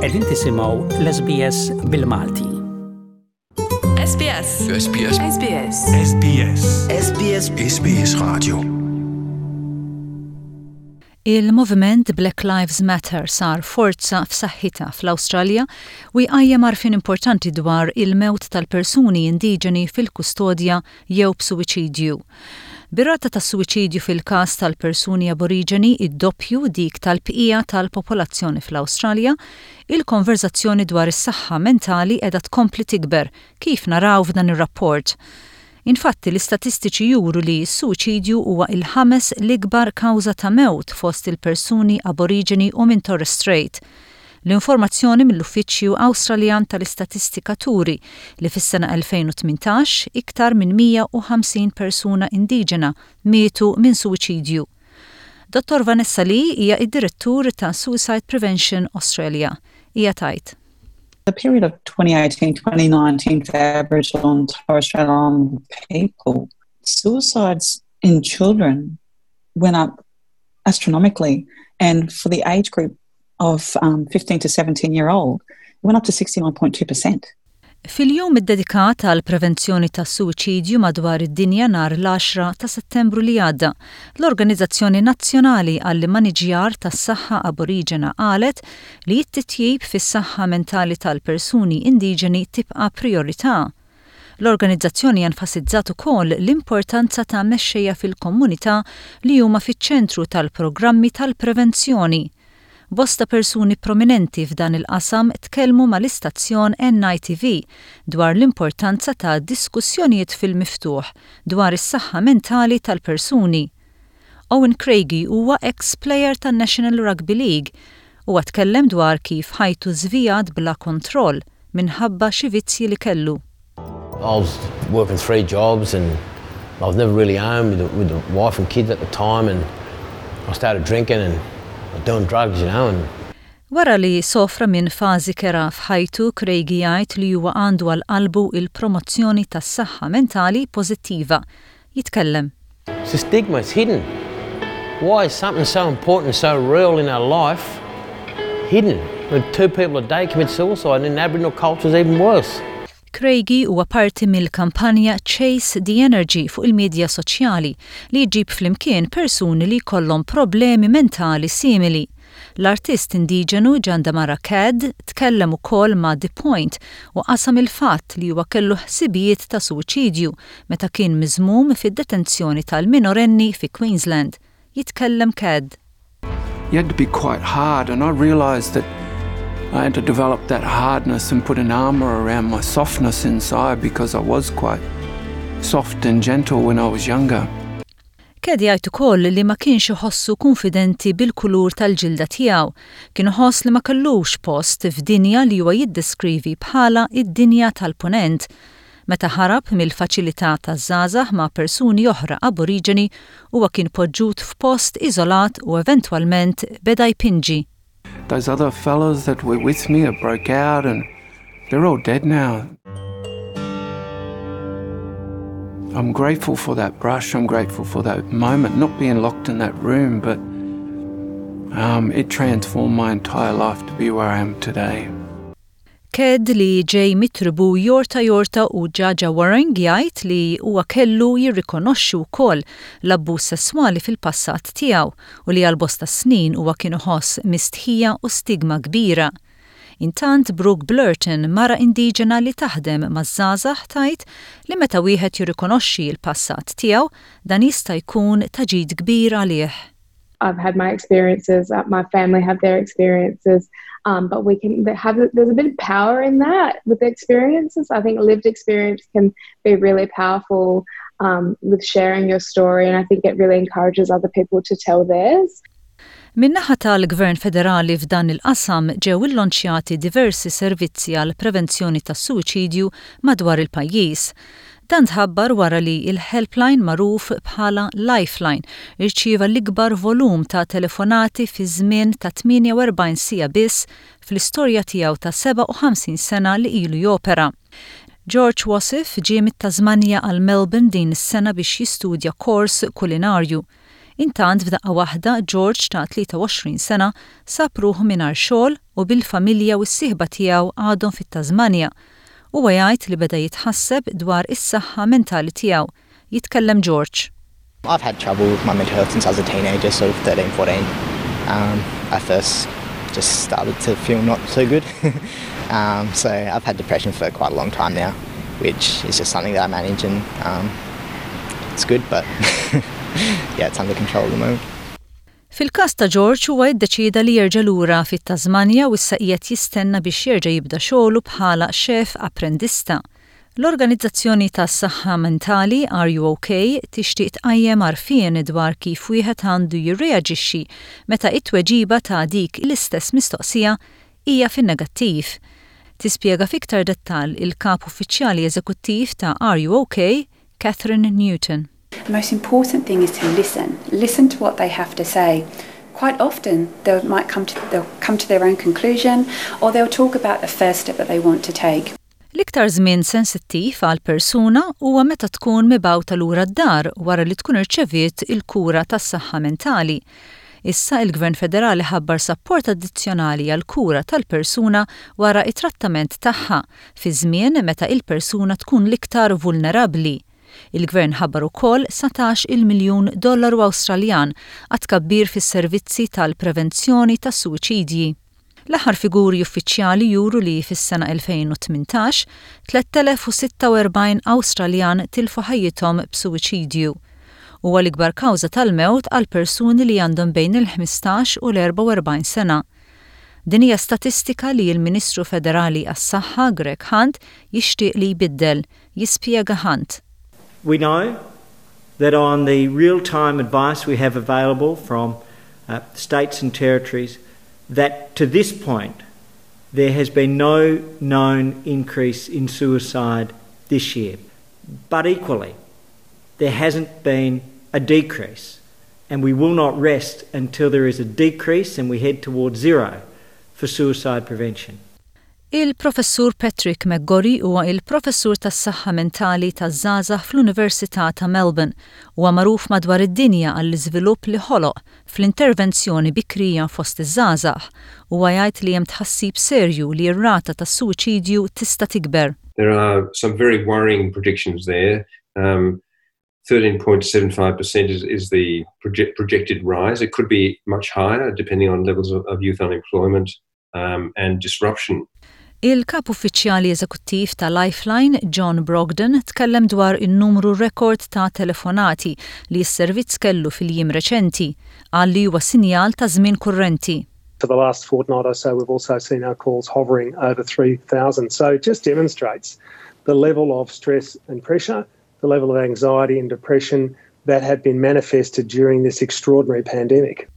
Qegħdin tisimgħu l-SBS bil-Malti. SBS. SBS. SBS. SBS. SBS. SBS Radio. Il-moviment Black Lives Matter sar forza f'saħħitha fl-Awstralja u jqajjem għarfien importanti dwar il-mewt tal-persuni indiġeni fil-kustodja jew b'suwiċidju. Bir-rata tas-suwiċidju fil-każ tal-persuni Aboriġeni id-doppju dik tal-bqija tal-popolazzjoni fl-Awstralja, il-konverżazzjoni dwar is-saħħa mentali qiegħda tkompli tikber, kif naraw f'dan ir-rapport. Infatti, l-istatistiċi juru li s-suwiċidju huwa il-ħames l-ikbar kawża ta' mewt fost il-persuni Aboriġeni u minn Torres Strait. L-informazzjoni mill-Uffiċċju Awstraljan tal-Istatistika turi li fis-sena 2018 iktar minn 150 persuna indiġena mietu minn suwiċidju. Dottor Vanessa Lee hija d-Direttur ta' Suicide Prevention Australia. Hija tgħid. The period of 2018-2019 for Aboriginal and Torres Strait Islander people, suicides in children went up astronomically and for the age group of um, 15 to 17 year old went up to 69.2%. Fil-jum iddedikat għal prevenzjoni tas-suwiċidju madwar id-dinja nhar l-10 ta' Settembru li għadda, l-Organizzazzjoni Nazzjonali għall-Immaniġjar tas-Saħħa Aboriġena qalet li t-titjib fis-saħħa mentali tal-persuni indiġeni tibqa' prijorità. L-organizzazzjoni enfasizzat ukoll l-importanza ta' mexxejja fil-komunità li huma fiċ-ċentru tal-programmi tal-prevenzjoni. Bosta persuni prominenti f'dan il-qasam tkellmu mal-istazzjon NITV dwar l-importanza ta' diskussjonijiet fil-miftuħ dwar is-saħħa mentali tal-persuni. Owen Craigie huwa eks plejer tan-National Rugby League. Huwa tkellem dwar kif ħajtu żvijat bla kontroll minħabba xi vizzji li kellu. I was working three jobs and I was never really home with the, with the wife and kids at the time and I started drinking and doing drugs, you know, and Wara li sofra minn fażi kerha f'ħajtu, Craigie jgħid li huwa għandu għal qalbu il-promozzjoni tas-saħħa mentali pożittiva. Jitkellem. It's a stigma, it's hidden. Why is something so important, so real in our life hidden? When two people a day commit suicide and in Aboriginal culture it's even worse. Craigie huwa parti mill-kampanja Chase the Energy fuq il-midja soċjali li jġib flimkien persuni li jkollhom problemi mentali simili. L-artist indiġenu Jandamarra Cadd tkellem ukoll ma' The Point u qasam il-fatt li huwa kellu ħsibijiet ta' suwiċidju meta kien miżmum fid-detenzjoni tal-minorenni fi Queensland. Jitkellem Cadd. You had to be quite hard and I realised that I had to develop that hardness and put an armour around my softness inside because I was quite soft and gentle when I was younger. Cadd jgħid ukoll li ma kienx iħossu kunfidenti bil-kulur tal-ġilda tiegħu. Kien iħoss li ma kellux post f'dinja li huwa jiddeskrivi bħala id-dinja tal-Punent. Meta ħarab mill-faċilità taż-żgħażagħ ma' persuni oħra Aboriġeni, huwa kien poġġut f'post iżolat u eventwalment beda jpinġi. Those other fellas that were with me broke out and they're all dead now. I'm grateful for that brush, I'm grateful for that moment, not being locked in that room, but um, it transformed my entire life to be where I am today. Cadd li ġej mit-tribù Yorta Yorta u Dja Dja Wurrung jgħid li huwa kellu jirrikonoxxi wkoll l-abbuż sesswali fil-passat tiegħu u li għal bosta snin huwa kien iħoss mistħija u stigma kbira. Intant Brooke Blurton, mara indiġena li taħdem maż-żgħażagħ tgħid li meta wieħed jirrikonoxxi l-passat tiegħu dan jista' jkun ta' ġid kbir għalih. I've had my experiences, uh, my family have their experiences, um, but we can have there's a bit of power in that with the experiences. I think lived experience can be really powerful um, with sharing your story, and I think it really encourages other people to tell theirs. Min-naħa tal-Gvern Federali f'dan il-qasam ġew illonċjati diversi servizzi għall-prevenzjoni tas-suwiċidju madwar il-pajjiż. Dan tħabbar wara li l-helpline magħruf bħala Lifeline irċieva l-ikbar volum ta' telefonati fi żmien ta' 48 siegħa biss fl-istorja tiegħu ta' 57 sena li ilu jopera. George Wasif ġie mit-Tasmanja għal Melbourne din is-sena biex jistudja kors kulinarju. Intant f'daqqa waħda George ta' 23 sena sab ruħu mingħajr xogħol u bil-familja u s-sieħba tiegħu għadhom fit-Tasmanja. Huwa jgħid li beda jitħasseb dwar is-saħħa mentali tiegħu. Jitkellem George. I've had trouble with my mental health since I was a teenager, sort of 13, 14. Um, I first just started to feel not so good. um, so I've had depression for quite a long time now, which is just something that I manage and um, it's good, but yeah, it's under control at the moment. Fil-każ ta' George huwa iddeċieda li jerġa' lura fit-Tasmanja u issa qiegħed jistenna biex jerġa' jibda xogħlu bħala chef apprendista. L-organizzazzjoni tas-saħħa mentali Are You OK tixtieq tqajjem għarfien dwar kif wieħed għandu jirreaġixxi meta t-tweġiba ta' dik l-istess mistoqsija hija fin-negattiv. Tispjega f'iktar dettall il-Kap Uffiċjali Eżekuttiv ta' Are You OK, Kathryn Newton. The most important thing is to listen. Listen to what they have to say. Quite often they might come to, they'll come to their own conclusion or they'll talk about the first step that they want to take. L-iktar żmien sensittiv għal persuna huwa meta tkun mibgħuta lura d-dar wara li tkun irċeviet il-kura tas-saħħa mentali. Issa il-Gvern Federali ħabbar sapport addizzjonali għall-kura tal-persuna wara t-trattament tagħha, fi żmien meta il-persuna tkun l-iktar vulnerabbli. Il-Gvern ħabbar ukoll 19-il miljun dollaru Awstraljan għat-tkabbir fis-servizzi tal-prevenzjoni tas-suwiċidji. L-aħħar figuri uffiċjali juru li fis-sena 2018, 3,046 Awstraljan tilfu ħajjithom b'suwiċidju. Huwa l-ikbar kawża tal-mewt għal persuni li għandhom bejn il-15 u l-44 sena. Din hija statistika li l-Ministru Federali għas-Saħħa Greg Hunt jixtieq li jbiddel, jispjega Hunt. We know that on the real-time advice we have available from uh, states and territories that to this point there has been no known increase in suicide this year. But equally, there hasn't been a decrease, and we will not rest until there is a decrease and we head towards zero for suicide prevention. Il-Professur Patrick McGorry huwa il-Professur tas-Saħħa Mentali taż-Żgħażagħ fl-Università ta' Melbourne. Huwa magħruf madwar id-dinja għall-iżvilupp li ħoloq fl-intervenzjoni bikrija fost iż-żgħażagħ. Huwa jgħid li hemm tħassib serju li r-rata tas-suwiċidju tista' tikber. There are some very worrying predictions there. Um, 13.75% is, is the project, projected rise. It could be much higher depending on levels of, of youth unemployment um, and disruption. Il-Kap Uffiċjali Eżekuttiv ta' Lifeline, John Brogden, tkellem dwar in-numru rekord ta' telefonati li s-servizz kellu fil-jiem reċenti. Qal li huwa sinjal ta' żmien kurrenti. For the last fortnight or so, we've also seen our calls hovering over 3,000. So it just demonstrates the level of stress and pressure, the level of anxiety and depression that have been manifested during this extraordinary pandemic.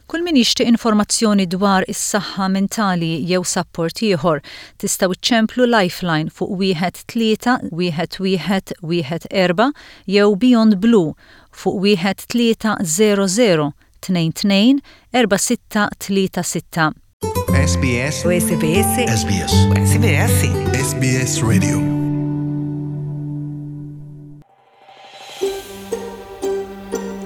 Kull min jixtieq informazzjoni dwar is-saħħa mentali jew sapport ieħor, tistgħu ċċemplu Lifeline fuq wieħed tlieta wieħed wieħed wieħed erba' jew Beyond Blue fuq wieħed 300 22 4636. SBS SBS SBS SBS SBS Radio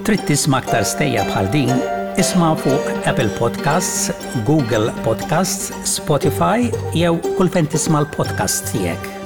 Trid tisma' aktar stejjer bħal din? Isma' fuq Apple Podcasts, Google Podcasts, Spotify jew kull fejn tisma' l-podcasts tiegħek.